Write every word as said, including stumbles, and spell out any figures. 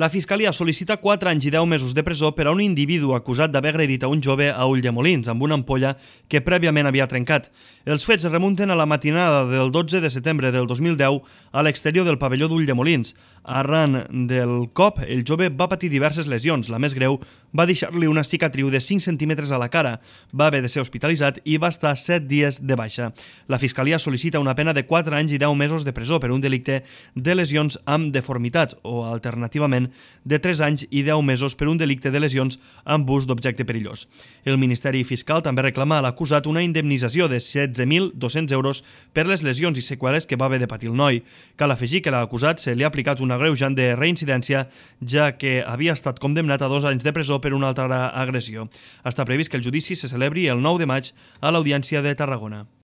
La Fiscalia sol·licita quatre anys i deu mesos de presó per a un individu acusat d'haver agredit a un jove a Ulldemolins amb una ampolla que prèviament havia trencat. Els fets es remunten a la matinada del dotze de setembre del dos mil deu a l'exterior del pavelló d'Ulldemolins. Arran del cop, el jove va patir diverses lesions. La més greu va deixar-li una cicatriu de cinc centímetres a la cara. Va haver de ser hospitalitzat i va estar set dies de baixa. La Fiscalia sol·licita una pena de quatre anys i deu mesos de presó per un delicte de lesions amb deformitat o, alternativament, de tres anys i deu mesos per un delicte de lesions amb ús d'objecte perillós. El Ministeri Fiscal també reclama a l'acusat una indemnització de setze mil dos-cents euros per les lesions i seqüeles que va haver de patir el noi. Cal afegir que a l'acusat se li ha aplicat un agreujant de reincidència, ja que havia estat condemnat a dos anys de presó per una altra agressió. Està previst que el judici se celebri el nou de maig a l'Audiència de Tarragona.